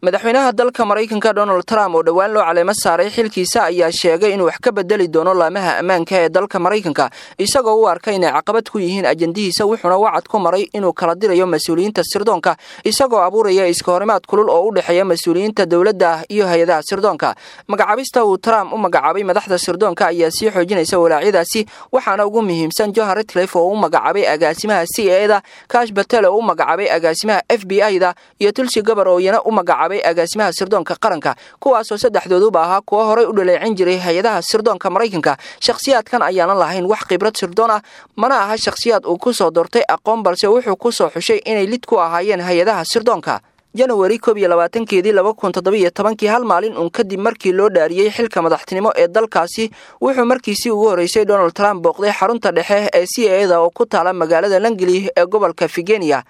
Madaxweynaha dalka Maraykanka Donald Trump oo dhowaan loo caleemo saaray xilkiisa ayaa sheegay inuu wax ka bedeli doono laamaha ammaanka ee dalka Maraykanka, isagoo u arkay inay caqabad ku yihiin ajandihiisa. Wuxuuna wacad ku maray inuu kala dirayo mas-uuliyiinta sirdoonka, isagoo abuuraya iska horimaad kulul oo u dhexeeya mas-uuliyiinta dowladda iyo hay-adaha sirdoonka. Magacaabista uu Trump u magacaabay madaxda sirdoonka ayaa sii xoojinaysa walaacyadaasi, waxaana ugu muhiimsan Johan Ratcliffe oo u magacaabay agaasimaha CIA da, Kash Patel oo u magacaabay agaasimaha FBI da iyo Tulsi Gabbard oo iyana u magacaabay agaasimaha sirdoonka qaranka, kuwaasoo saddexdooduba ahaa kuwo horay u dhaleecin jiray hay-adaha sirdoonka Maraykanka. Shakhsiyaadkan ayaanan lahayn wax khibrad sirdoon ah, mana aha shakhsiyaad uu ku soo doortay aqoon, balse wuxuu ku soo xushay inay lid ku ahaayeen hay-adaha sirdoonka. Januari 21-keedii 2017-kii, hal maalin uun kadib markii loo dhaariyey xilka madaxtinimo ee dalkaasi, wuxuu markiisii ugu horreysay Donald Trump booqday xarunta dhexe ee CIA da oo ku taala magaalada Langley ee gobolka Virginia.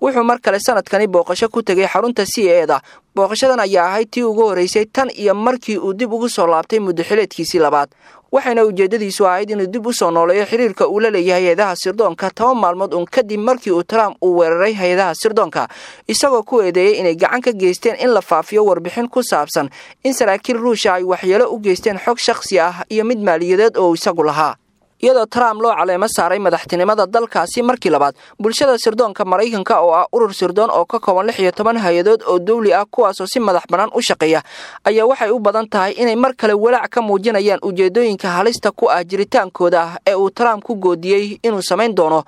Wuxuu mar kale sanadkani booqasho ku tegay xarunta CIA da. Booqashadan ayaa ahayd tii ugu horreysay tan iyo markii uu dib ugu soo laabtay muddaxileedkiisii labaad, waxayna ujeeddadiisu ahayd inuu dib u soo nooleeyo xiriirka uu la leeyahay hay-adaha sirdoonka, 10 maalmood uun kadib markii uu Trump uu weeraray hay-adaha sirdoonka, isagoo ku eedeeyey inay gacan ka geysteen in la faafiyo warbixin ku saabsan in saraakiil Ruusha ay waxyeelo u geysteen xog shakhsi ah iyo mid maaliyadeed oo isagu lahaa. Iyadoo Trump loo caleemo saaray madaxtinimada dalkaasi markii labaad, bulshada sirdoonka Maraykanka oo ah urur sirdoon oo ka kooban 16 hay-adood oo dowli ah, kuwaasoo si madax bannaan u shaqeeya, ayaa waxay u badan tahay inay mar kale walaac ka muujinayaan ujeedooyinka halista ku ah jiritaankooda ee uu Trump ku goodiyey inuu samayn doono.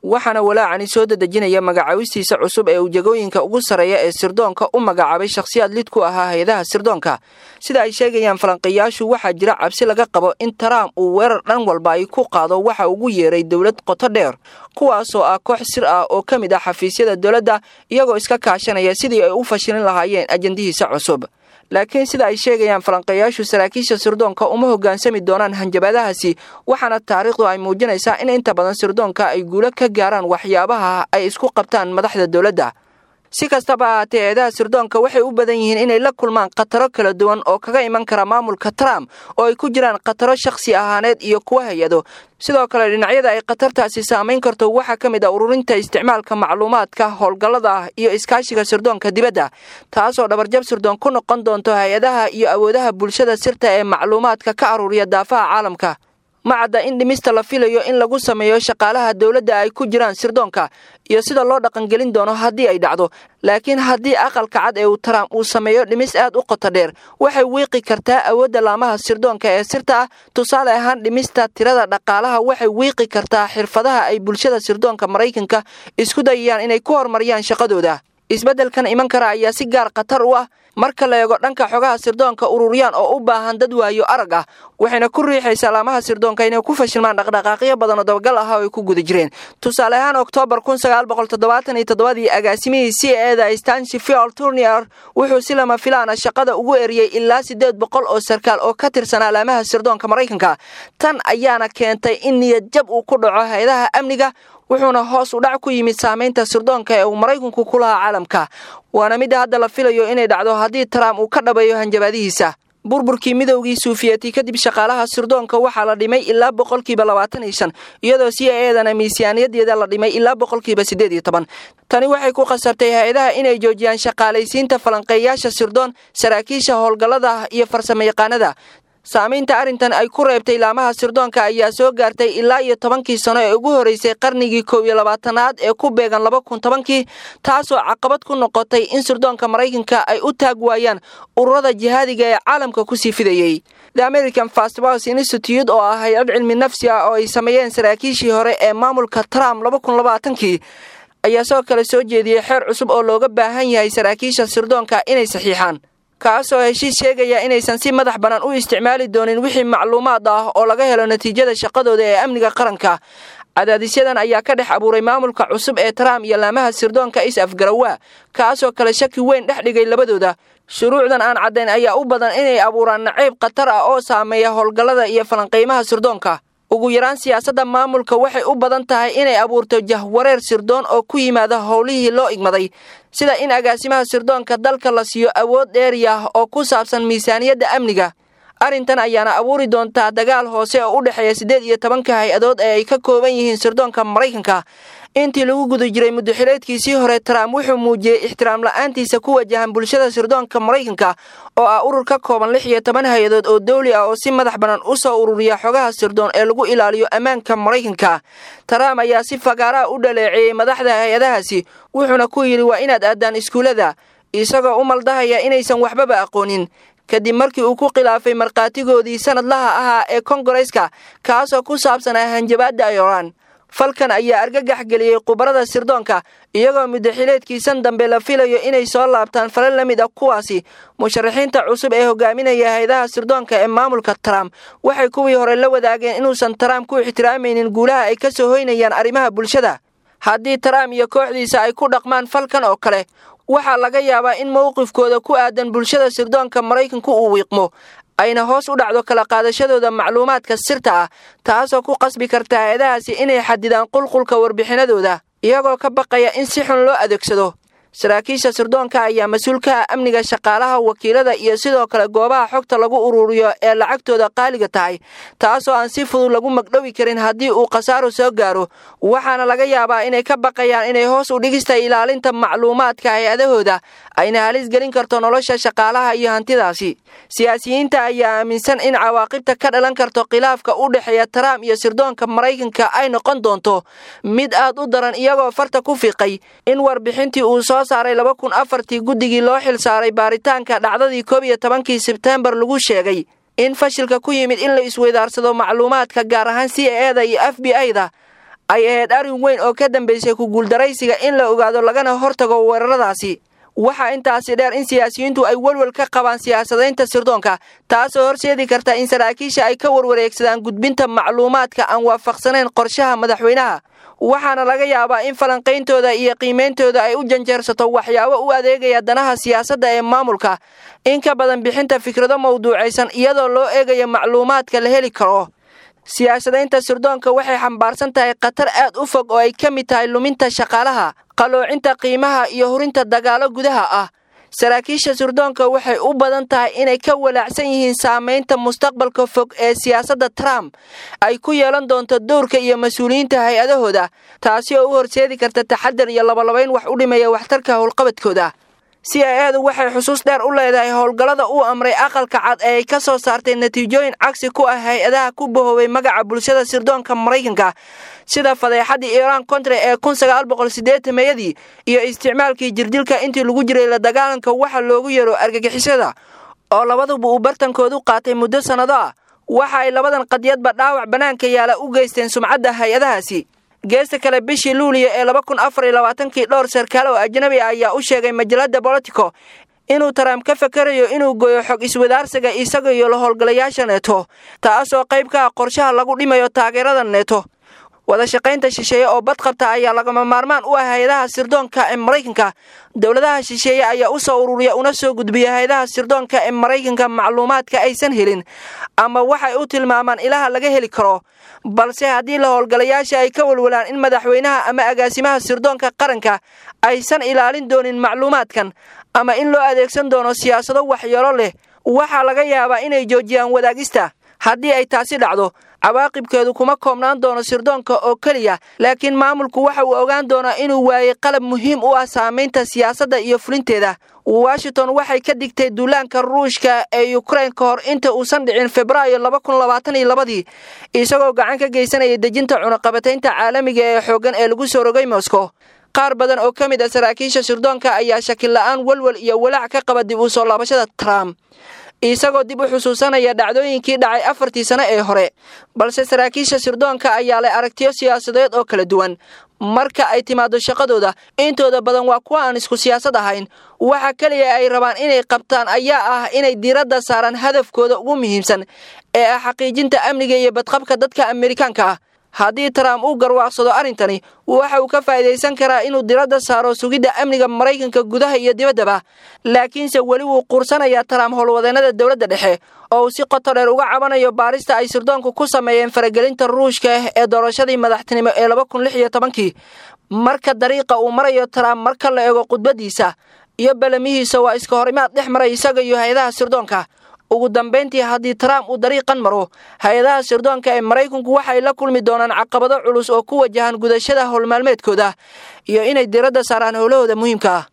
Waxaana walaacani soo dedejinaya magacaabistiisa cusub ee ujeegooyinka ugu sarreeya ee sirdoonka u magacaabay shakhsiyaad lid ku ahaa hay-adaha sirdoonka. Sida ay sheegayaan falanqeeyaashu, waxaa jira cabsi laga qabo in Trump uu weerar dhan walba ay ku qaado waxa ugu yeeray dowlad qoto dheer, kuwaasoo ah koox sir ah oo ka mid ah xafiisyada dowladda, iyagoo iska kaashanaya sidii ay u fashilin lahaayeen ajandihiisa cusub. Laakiin sida ay sheegayaan falanqeeyaashu, saraakiisha sirdoonka uma hoggaansami doonaan hanjabaadahaasi, waxaana taariikhdu ay muujinaysaa in inta badan sirdoonka ay guulo ka gaaraan waxyaabaha ay isku qabtaan madaxda dowladda. Si kastaba ahaatee, hay-adaha sirdoonka waxay u badan yihiin inay la kulmaan khataro kala duwan oo kaga iman kara maamulka Trump, oo ay ku jiraan khataro shakhsi ahaaneed iyo kuwa hay-ado. Sidoo kale, dhinacyada ay khatartaasi saamayn karto waxaa ka mid ah ururinta, isticmaalka macluumaadka, howlgallada iyo iskaashiga sirdoonka dibadda, taasoo dhabarjab sirdoon ku noqon doonto hay-adaha iyo awoodaha bulshada sirta ee macluumaadka ka aruuriya daafaha caalamka. Ma cadda in dhimista la filayo in lagu sameeyo shaqaalaha dowladda ay ku jiraan sirdoonka iyo sida loo dhaqangelin doono haddii ay dhacdo, laakiin haddii Aqalka Cad ee uu Trump uu sameeyo dhimis aad u qoto dheer, waxay wiiqi kartaa awoodda laamaha sirdoonka ee sirta ah. Tusaale ahaan, dhimista tirada dhaqaalaha waxay wiiqi kartaa xirfadaha ay bulshada sirdoonka Maraykanka isku dayayaan inay ku horumariyaan shaqadooda. Isbeddelkan iman kara ayaa si gaar khatar u ah marka la eego dhanka xogaha sirdoonka ururiyaan oo u baahan dad waayo arag ah, waxayna ku riixaysaa laamaha sirdoonka inay ku fashilmaan dhaqdhaqaaqyo badan oo dabagal ah oo ay ku guda jireen. Tusaale ahaan, Oktoobar 1977-dii, agaasimihii CIA da Stanley Turnier wuxuu si lama filaana shaqada ugu eriyey ilaa 800 oo sarkaal oo ka tirsanaa laamaha sirdoonka Maraykanka. Tan ayaana keentay in niyad jab uu ku dhaco hay-adaha amniga, wuxuuna hoos u dhac ku yimid saamaynta sirdoonka ee uu Maraykanku ku lahaa caalamka. Waana midda hadda la filayo inay dhacdo haddii Trump uu ka dhabeeyo hanjabaadihiisa. Burburkii Midowgii Suufiyeti kadib, shaqaalaha sirdoonka waxaa la dhimay ilaa 25%, iyadoo CIA dana miisaaniyadeeda la dhimay ilaa 18%. Tani waxay ku khasabtay hay-adaha inay joojiyaan shaqaalaysiinta falanqeeyaasha sirdoon, saraakiisha howlgallada iyo farsamayaqaanada. Saamaynta arrintan ay ku reebtay laamaha sirdoonka ayaa soo gaartay ilaa iyo 10-kii sano ee ugu horreysay qarnigii 21-aad ee ku beegan 2010-kii, taasoo caqabad ku noqotay in sirdoonka Maraykanka ay u taag waayaan ururada jihaadiga ee caalamka kusii fidayey. The American First Policy Institute oo ah hay-ad cilmi nafsi ah oo ay sameeyeen saraakiishii hore ee maamulka Trump 2020-kii ayaa sidoo kale soo jeediyey xeer cusub oo looga baahan yahay saraakiisha sirdoonka inay saxiixaan, kaasoo heshiis sheegaya inaysan si madax bannaan u isticmaali doonin wixii macluumaad ah oo laga helo natiijada shaqadooda ee amniga qaranka. Cadaadisyadan ayaa ka dhex abuuray maamulka cusub ee Trump iyo laamaha sirdoonka is afgarawaa, kaasoo kale shaki weyn dhex dhigay labadooda. Shuruucdan aan caddayn ayaa u badan inay abuuraan nacayb khatar ah oo saameeya howlgallada iyo falanqaymaha sirdoonka. Ugu yaraan, siyaasadda maamulka waxay u badan tahay inay abuurto jahwareer sirdoon oo ku yimaada howlihii loo igmaday, sida in agaasimaha sirdoonka dalka la siiyo awood dheeri ah oo ku saabsan miisaaniyadda amniga. Arrintan ayaana abuuri doontaa dagaal hoose oo u dhexeeya 18-ka hay-adood ee ay ka kooban yihiin sirdoonka Maraykanka. Intii lagu guda jiray muddaxileedkiisii hore, Trump wuxuu muujiyey ixtiraam la'aantiisa ku wajahan bulshada sirdoonka Maraykanka, oo ah urur ka kooban 16 hay-adood oo dawli ah oo si madax bannaan u soo ururiya xogaha sirdoon ee lagu ilaaliyo ammaanka Maraykanka. Trump ayaa si fagaaraha u dhaleeceeyey madaxda hay-adahaasi, wuxuuna ku yidhi waa inaad aadaan iskuullada, isagoo u maldahaya inaysan waxbaba aqoonin, kadib markii uu ku khilaafay markhaatigoodii sanadlaha ahaa ee kongareeska, kaasoo ku saabsanaa hanjabaadda Iran. Falkan ayaa argagax geliyey khubarada sirdoonka, iyagoo muddaxileedkiisan dambe la filayo inay soo laabtaan falal la mid ah kuwaasi. Musharaxiinta cusub ee hogaaminaya hay-adaha sirdoonka ee maamulka Trump waxay kuwii hore la wadaageen inuusan Trump ku ixtiraamaynin guulaha ay ka soo hoynayaan arrimaha bulshada. Haddii Trump iyo kooxdiisa ay ku dhaqmaan falkan oo kale, waxaa laga yaabaa in mowqifkooda ku aadan bulshada sirdoonka Maraykanku uu wiiqmo, ayna hoos u dhacdo kala qaadashadooda macluumaadka sirta ah, taasoo ku qasbi karta hay-adahaasi inay xadidaan qulqulka warbixinadooda, iyagoo ka baqaya in si xun loo adeegsado. Saraakiisha sirdoonka ayaa mas-uul ka ah amniga shaqaalaha, wakiilada iyo sidoo kale goobaha xogta lagu ururiyo ee lacagtooda qaaliga tahay, taasoo aan si fudud lagu magdhowi karin haddii uu khasaaro soo gaaro. Waxaana laga yaabaa inay ka baqayaan inay hoos u dhigista ilaalinta macluumaadka hay-adahooda ayna halis gelin karto nolosha shaqaalaha iyo hantidaasi. Siyaasiyiinta ayaa aaminsan in cawaaqibta ka dhalan karto khilaafka u dhexeeya Trump iyo sirdoonka Maraykanka ay noqon doonto mid aad u daran, iyagoo farta ku fiiqay in warbixintii uu soo saaray 2004-tii guddigii loo xil saaray baaritaanka dhacdadii 11-kii Sebteembar lagu sheegay in fashilka ku yimid in la isweydaarsado macluumaadka, gaar ahaan CIA da iyo FBI da, ay ahayd arrin weyn oo ka dambeysay ku guuldaraysiga in la ogaado lagana hortago weeraradaasi. Waxaa intaasi dheer in siyaasiyiintu ay welwel ka qabaan siyaasadaynta sirdoonka, taasoo horseedi karta in saraakiisha ay ka warwareegsadaan gudbinta macluumaadka aan waafaqsanayn qorshaha madaxweynaha. Waxaana laga yaabaa in falanqayntooda iyo qiimeyntooda ay u janjeersato waxyaabo u adeegaya danaha siyaasadda ee maamulka in ka badan bixinta fikrado mawduucaysan iyadoo loo eegayo macluumaadka la heli karo. Siyaasadaynta sirdoonka waxay xambaarsan tahay khatar aad u fog oo ay ka mid tahay luminta shaqaalaha, qaloocinta qiimaha iyo hurinta dagaalo gudaha ah. Saraakiisha sirdoonka waxay u badan tahay inay ka walaacsan yihiin saamaynta mustaqbalka fog ee siyaasadda Trump ay ku yeelan doonto dowrka iyo mas-uuliyiinta hay-adahooda, taasi oo u horseedi karta taxadar iyo labalabayn wax u dhimaya waxtarka howlqabadkooda. CIA du waxay xusuus dheer u leedahay howlgallada uu amray Aqalka Cad ee ay ka soo saartay natiijooyin cagsi ku ah hay-adaha ku bahoobay magaca bulshada sirdoonka Maraykanka, sida fadeexadii Iran Contra ee 1980-meeyadii iyo isticmaalkii jirdilka intii lagu jiray la dagaalanka waxa loogu yeero argagixisada, oo labaduba uu bartankoodu qaatay muddo sannado ah. Waxa ay labadan qadiyadba dhaawac bannaanka yaala u geysteen sumcadda hay-adahaasi. Geesta kale, bishii Luuliya ee 2024-kii, dhowr sarkaal oo ajnabi ah ayaa u sheegay majalada Politico inuu Trump ka fakerayo inuu goyo xog iswadaarsiga isaga iyo la howlgalayaasha Neto, taasoo qayb ka ah qorshaha lagu dhimayo taageerada Neto. Wada shaqaynta shisheeye oo badqabta ayaa lagama maarmaan u ah hay-adaha sirdoonka ee Maraykanka. Dowladaha shisheeye ayaa u soo ururiya una soo gudbiya hay-adaha sirdoonka ee Maraykanka macluumaadka aysan helin, ama waxay u tilmaamaan ilaha laga heli karo. Balse haddii la howlgalayaasha ay ka walwalaan in madaxweynaha ama agaasimaha sirdoonka qaranka aysan ilaalin doonin macluumaadkan, ama in loo adeegsan doono siyaasado waxyeelo leh, waxaa laga yaabaa inay joojiyaan wadaagista. Haddii ay taasi dhacdo, cawaaqibkeedu kuma koobnaan doono sirdoonka oo keliya, laakiin maamulku waxa uu ogaan doonaa inuu waayey qalab muhiim u ah saamaynta siyaasadda iyo fulinteeda. Washington waxay ka digtay duulaanka Ruushka ee Ukraine ka hor inta uusan dhicin Febraayo 2022-dii, isagoo gacan ka geysanaya dejinta cunaqabataynta caalamiga ee xooggan ee lagu soo rogay Moscow. Qaar badan oo ka mid ah saraakiisha sirdoonka ayaa shaki la'aan walwal iyo walaac ka qaba dib u soo laabashada Trump, isagoo dib u xusuusanaya dhacdooyinkii dhacay 4-tii sano ee hore. Balse saraakiisha sirdoonka ayaa leh aragtiyo siyaasadeed oo kala duwan marka ay timaado shaqadooda. Intooda badan waa kuwa aan isku siyaasad ahayn. Waxa keliya ay rabaan inay qabtaan ayaa ah inay diiradda saaraan hadafkooda ugu muhiimsan ee ah xaqiijinta amniga iyo badqabka dadka Amerikaanka ah. Haddii Trump uu garwaaqsado arrintani, waxa uu ka faa'idaysan karaa inuu diradda saaro sugidda amniga Maraykanka gudaha iyo dibaddaba. Laakiinse weli wuu quursanayaa Trump howlwadeennada dowladda dhexe, oo uu si qoto dheer uga cabanayo baarista ay sirdoonku ku sameeyeen faragelinta Ruushka ee doorashadii madaxtinimo ee 2016-kii. Marka dariiqa uu marayo Trump, marka la eego khudbadiisa iyo balamihiisa, waa iska horimaad dhex maray isaga iyo hay-adaha sirdoonka. Ugu dambayntii, haddii Trump uu dariiqan maro, hay-adaha sirdoonka ee Maraykanku waxay la kulmi doonaan caqabado culus oo ku wajahan gudashada howlmaalmeedkooda iyo inay diradda saaraan howlahooda muhiimka ah.